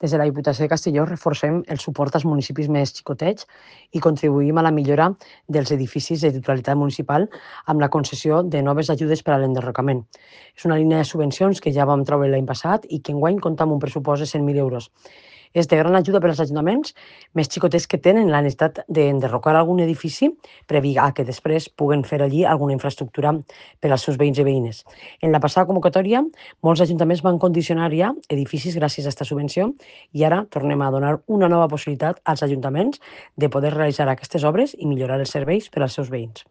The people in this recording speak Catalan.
Des de la Diputació de Castelló reforcem el suport als municipis més xicotets i contribuïm a la millora dels edificis de titularitat municipal amb la concessió de noves ajudes per a l'enderrocament. És una línia de subvencions que ja vam treure l'any passat i que enguany compta amb un pressupost de 100.000 euros. És de gran ajuda per als ajuntaments més xicotets que tenen la necessitat d'enderrocar algun edifici per evitar que després puguen fer allí alguna infraestructura per als seus veïns i veïnes. En la passada convocatòria, molts ajuntaments van condicionar ja edificis gràcies a aquesta subvenció i ara tornem a donar una nova possibilitat als ajuntaments de poder realitzar aquestes obres i millorar els serveis per als seus veïns.